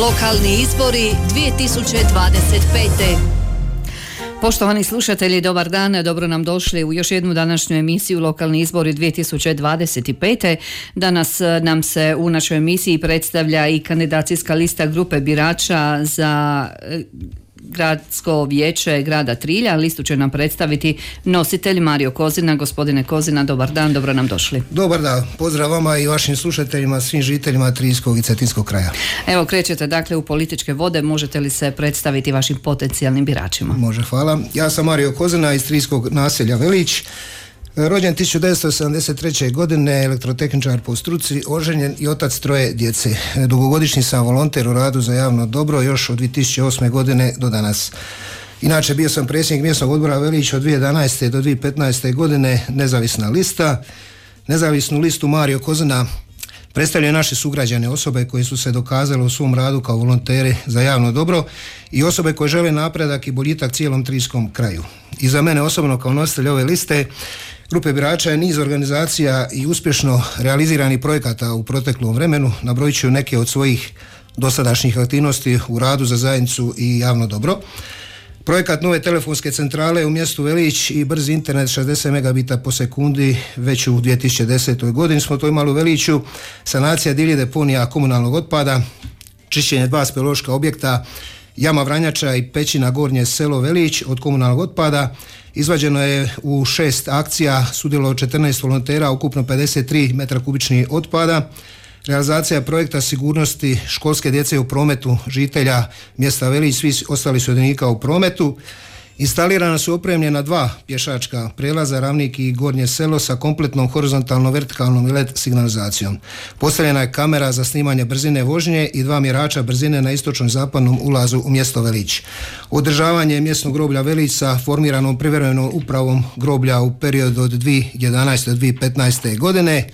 Lokalni izbori 2025. Poštovani slušatelji, dobar dan, dobro nam došli u još jednu današnju emisiju Lokalni izbori 2025. Danas nam se u našoj emisiji predstavlja i kandidacijska lista grupe birača za Gradsko vijeće grada Trilja. Listu će nam predstaviti nositelj Mario Kozina. Gospodine Kozina, dobar dan, dobro nam došli. Dobar dan, pozdrav vama i vašim slušateljima, svim žiteljima Triljskog i Cetinskog kraja. Evo, krećete dakle u političke vode, možete li se predstaviti vašim potencijalnim biračima? Može, hvala. Ja sam Mario Kozina iz Triljskog naselja Velić. Rođen 1973. godine, elektrotehničar po struci, oženjen i otac troje djece. Dugogodišnji sam volonter u radu za javno dobro još od 2008. godine do danas. Inače, bio sam predsjednik mjesnog odbora Velić od 2011. do 2015. godine, nezavisna lista. Nezavisnu listu Mario Kozina predstavljaju naše sugrađane, osobe koje su se dokazale u svom radu kao volonteri za javno dobro i osobe koje žele napredak i boljitak cijelom Triljskom kraju. I za mene osobno kao nositelj ove liste grupe birača je niz organizacija i uspješno realiziranih projekata u proteklom vremenu. Nabrojit ću neke od svojih dosadašnjih aktivnosti u radu za zajednicu i javno dobro. Projekat nove telefonske centrale u mjestu Velić i brzi internet 60 megabita po sekundi već u 2010. godini smo to imali u Veliću. Sanacija divljih deponija komunalnog otpada, čišćenje 2 speleološka objekta, jama Vranjača i pećina Gornje selo Velić od komunalnog otpada. Izvađeno je u 6 akcija, sudjelovalo 14 volontera, ukupno 53 metra kubičnih otpada. Realizacija projekta sigurnosti školske djece u prometu žitelja mjesta Velić, svi ostali sudionika u prometu. Instalirana su opremljena 2 pješačka prelaza, Ravnik i Gornje selo, sa kompletnom horizontalnom, vertikalnom i LED signalizacijom. Postavljena je kamera za snimanje brzine vožnje i 2 mjerača brzine na istočnom zapadnom ulazu u mjesto Velić. Održavanje mjesnog groblja Velić sa formiranom privremenom upravom groblja u periodu od 2011. do 2015. godine.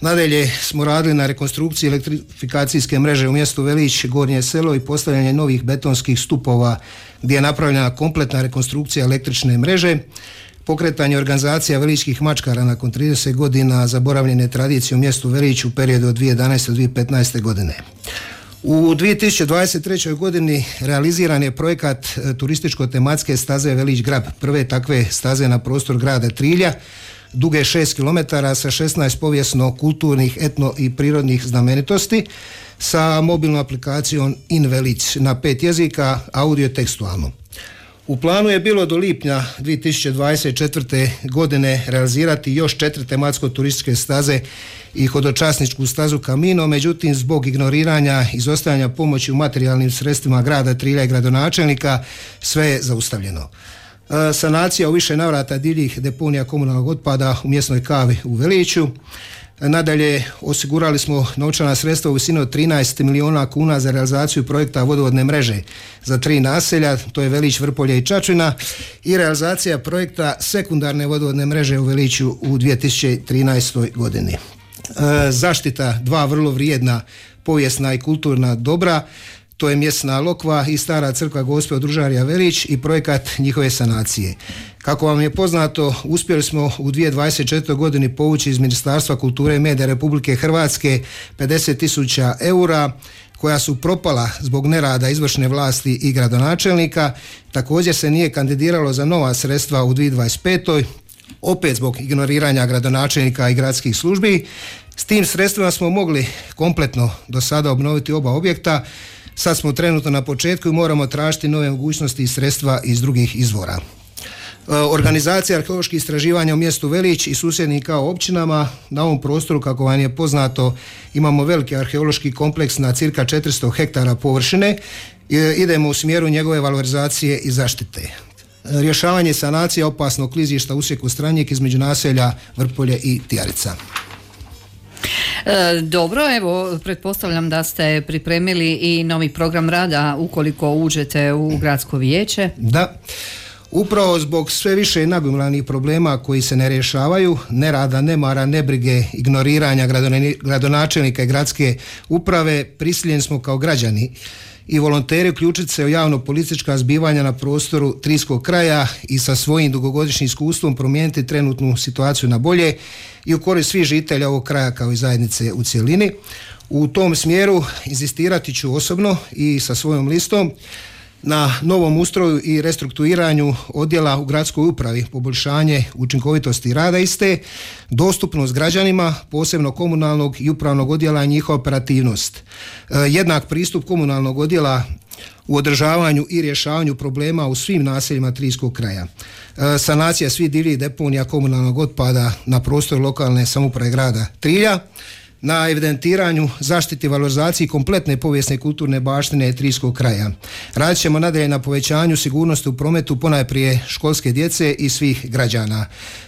Nadalje smo radili na rekonstrukciji elektrifikacijske mreže u mjestu Velić, Gornje selo i postavljanje novih betonskih stupova gdje je napravljena kompletna rekonstrukcija električne mreže, pokretanje organizacija veličkih mačkara nakon 30 godina zaboravljene tradicije u mjestu Velić u periodu od 2011. do 2015. godine. U 2023. godini realiziran je projekat turističko-tematske staze Velić Grab, prve takve staze na prostor grada Trilja, duge 6 km sa 16 povijesno-kulturnih, etno i prirodnih znamenitosti, sa mobilnom aplikacijom In Velić na 5 jezika, audio tekstualno. U planu je bilo do lipnja 2024. godine realizirati još 4 tematsko-turističke staze i hodočasničku stazu Camino, međutim zbog ignoriranja i izostajanja pomoći u materijalnim sredstvima grada Trilja i gradonačelnika sve je zaustavljeno. Sanacija u više navrata divljih deponija komunalnog otpada u mjesnoj kavi u Veliću. Nadalje, osigurali smo novčana sredstva u visini od 13 milijuna kuna za realizaciju projekta vodovodne mreže za 3 naselja, to je Velić, Vrpolje i Čačina, i realizacija projekta sekundarne vodovodne mreže u Veliću u 2013. godini. Zaštita 2 vrlo vrijedna povijesna i kulturna dobra, to je mjesna lokva i stara crkva Gospe od Ružarija Velić i projekat njihove sanacije. Kako vam je poznato, uspjeli smo u 2024. godini povući iz Ministarstva kulture i medija Republike Hrvatske 50.000 eura koja su propala zbog nerada izvršne vlasti i gradonačelnika. Također se nije kandidiralo za nova sredstva u 2025. opet zbog ignoriranja gradonačelnika i gradskih službi. S tim sredstvima smo mogli kompletno do sada obnoviti oba objekta. Sad smo trenutno na početku i moramo tražiti nove mogućnosti i sredstva iz drugih izvora. Organizacija arheoloških istraživanja u mjestu Velić i susjednim kao općinama. Na ovom prostoru, kako vam je poznato, imamo veliki arheološki kompleks na cirka 400 hektara površine. Idemo u smjeru njegove valorizacije i zaštite. Rješavanje sanacije opasnog klizišta usjeku Stranjik između naselja Vrpolje i Tijarica. Dobro, evo, pretpostavljam da ste pripremili i novi program rada ukoliko uđete u gradsko vijeće. Da, upravo zbog sve više nagomilanih problema koji se ne rješavaju, nerada, nemara, nebrige, ignoriranja gradonačelnika i gradske uprave, prisiljeni smo kao građani i volonteri uključiti se u javno-politička zbivanja na prostoru Triljskog kraja i sa svojim dugogodišnjim iskustvom promijeniti trenutnu situaciju na bolje i u korist svih žitelja ovog kraja kao i zajednice u cjelini. U tom smjeru inzistirati ću osobno i sa svojom listom na novom ustroju i restrukturiranju odjela u gradskoj upravi, poboljšanje učinkovitosti rada iste, dostupnost građanima, posebno komunalnog i upravnog odjela i njihova operativnost. Jednak pristup komunalnog odjela u održavanju i rješavanju problema u svim naseljima Triljskog kraja. Sanacija svih divljih deponija komunalnog otpada na prostoru lokalne samouprave grada Trilja, na evidentiranju, zaštiti i valorizaciji kompletne povijesne i kulturne baštine Triljskog kraja. Radit ćemo nadalje na povećanju sigurnosti u prometu ponajprije školske djece i svih građana.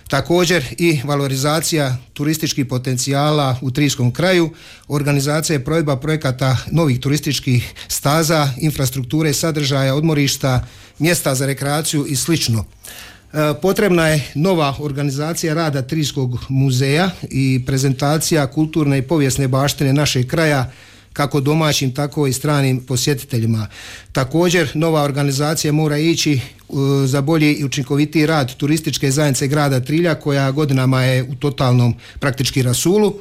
Također i valorizacija turističkih potencijala u Triljskom kraju, organizacija i provedba projekata novih turističkih staza, infrastrukture, sadržaja, odmorišta, mjesta za rekreaciju i slično. Potrebna je nova organizacija rada Triljskog muzeja i prezentacija kulturne i povijesne baštine našeg kraja kako domaćim tako i stranim posjetiteljima. Također nova organizacija mora ići za bolji i učinkovitiji rad turističke zajednice grada Trilja koja godinama je u totalnom praktički rasulu.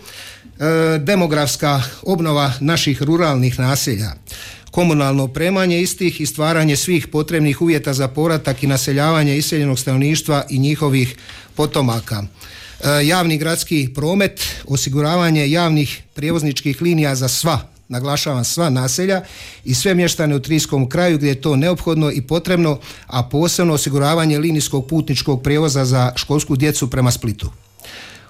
Demografska obnova naših ruralnih naselja, komunalno opremanje istih i stvaranje svih potrebnih uvjeta za povratak i naseljavanje iseljenog stanovništva i njihovih potomaka. Javni gradski promet, osiguravanje javnih prijevozničkih linija za sva, naglašavam sva naselja i sve mještane u Triljskom kraju gdje je to neophodno i potrebno, a posebno osiguravanje linijskog putničkog prijevoza za školsku djecu prema Splitu.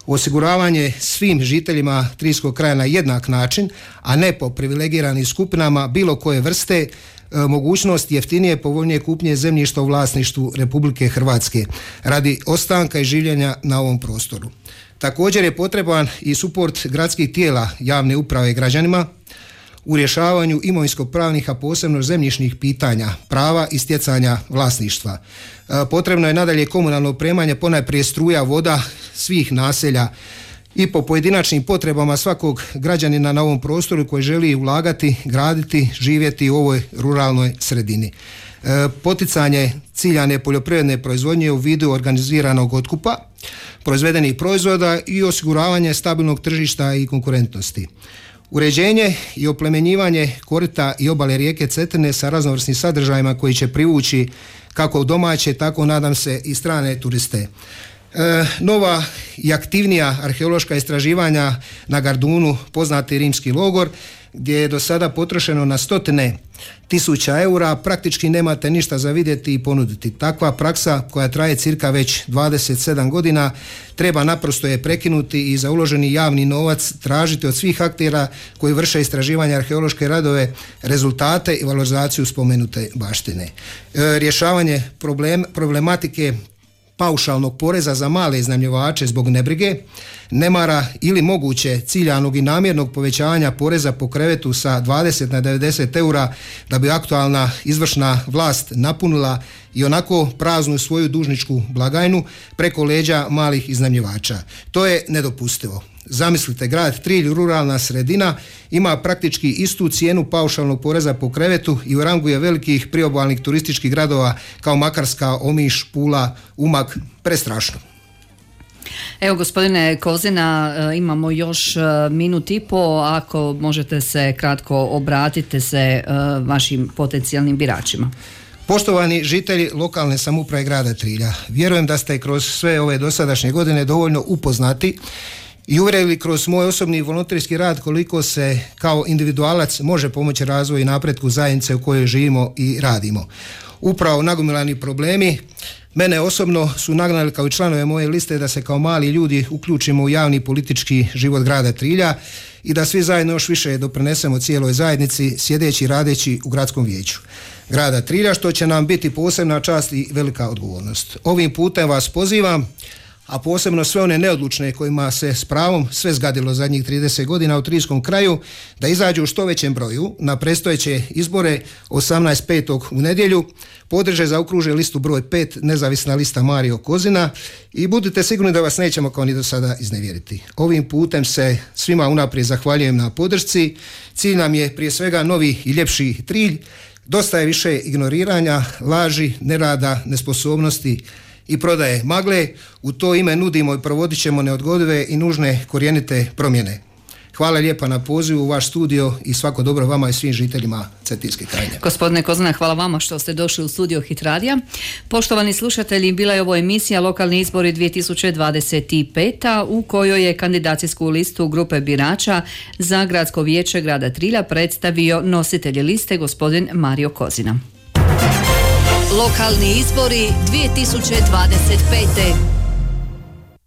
Osiguravanje svim žiteljima Triljskog kraja na jednak način, a ne po privilegiranim skupinama bilo koje vrste, mogućnost jeftinije povoljnije kupnje zemljišta u vlasništvu Republike Hrvatske radi ostanka i življenja na ovom prostoru. Također je potreban i suport gradskih tijela javne uprave građanima u rješavanju imovinsko-pravnih, a posebno zemljišnih pitanja, prava i stjecanja vlasništva. Potrebno je nadalje komunalno opremanje, ponajprije struja, voda svih naselja i po pojedinačnim potrebama svakog građanina na ovom prostoru koji želi ulagati, graditi, živjeti u ovoj ruralnoj sredini. Poticanje ciljane poljoprivredne proizvodnje u vidu organiziranog otkupa proizvedenih proizvoda i osiguravanje stabilnog tržišta i konkurentnosti. Uređenje i oplemenjivanje korita i obale rijeke Cetine sa raznovrsnim sadržajima koji će privući kako domaće, tako nadam se i strane turiste. Nova i aktivnija arheološka istraživanja na Gardunu, poznati rimski logor, gdje je do sada potrošeno na 100.000 eura, praktički nemate ništa za vidjeti i ponuditi. Takva praksa koja traje cirka već 27 godina treba naprosto je prekinuti i za uloženi javni novac tražiti od svih aktera koji vrše istraživanje arheološke radove rezultate i valorizaciju spomenute baštine. Rješavanje problematike paušalnog poreza za male iznajmljivače zbog nebrige, nemara ili moguće ciljanog i namjernog povećavanja poreza po krevetu sa 20 na 90 eura da bi aktualna izvršna vlast napunila i onako praznu svoju dužničku blagajnu preko leđa malih iznajmljivača. To je nedopustivo. Zamislite, grad Trilj, ruralna sredina, ima praktički istu cijenu paušalnog poreza po krevetu i u rangu je velikih priobalnih turističkih gradova kao Makarska, Omiš, Pula, Umag. Prestrašno. Evo, gospodine Kozina, imamo još minut i po, ako možete se kratko obratite se vašim potencijalnim biračima. Poštovani žitelji lokalne samouprave grada Trilja, vjerujem da ste kroz sve ove dosadašnje godine dovoljno upoznati i uvjerili kroz moj osobni volonterski rad koliko se kao individualac može pomoći razvoju i napretku zajednice u kojoj živimo i radimo. Upravo nagomilani problemi mene osobno su nagnali kao i članove moje liste da se kao mali ljudi uključimo u javni politički život grada Trilja i da svi zajedno još više doprinesemo cijeloj zajednici sjedeći i radeći u gradskom vijeću grada Trilja, što će nam biti posebna čast i velika odgovornost. Ovim putem vas pozivam, a posebno sve one neodlučne kojima se s pravom sve zgadilo zadnjih 30 godina u Triljskom kraju, da izađu u što većem broju na predstojeće izbore 18.5. u nedjelju, podrže zaokruže listu broj 5, nezavisna lista Mario Kozina, i budite sigurni da vas nećemo kao ni do sada iznevjeriti. Ovim putem se svima unaprijed zahvaljujem na podršci. Cilj nam je prije svega novi i ljepši Trilj. Dosta je više ignoriranja, laži, nerada, nesposobnosti i prodaje magle. U to ime nudimo i provodit ćemo neodgodive i nužne korijenite promjene. Hvala lijepa na pozivu u vaš studio i svako dobro vama i svim žiteljima Cetinske krajine. Gospodine Kozina, hvala vama što ste došli u studio Hit radija. Poštovani slušatelji, bila je ovo emisija Lokalni izbori 2025. u kojoj je kandidacijsku listu grupe birača za gradsko vijeće grada Trilja predstavio nositelj liste gospodin Mario Kozina. Lokalni izbori 2025.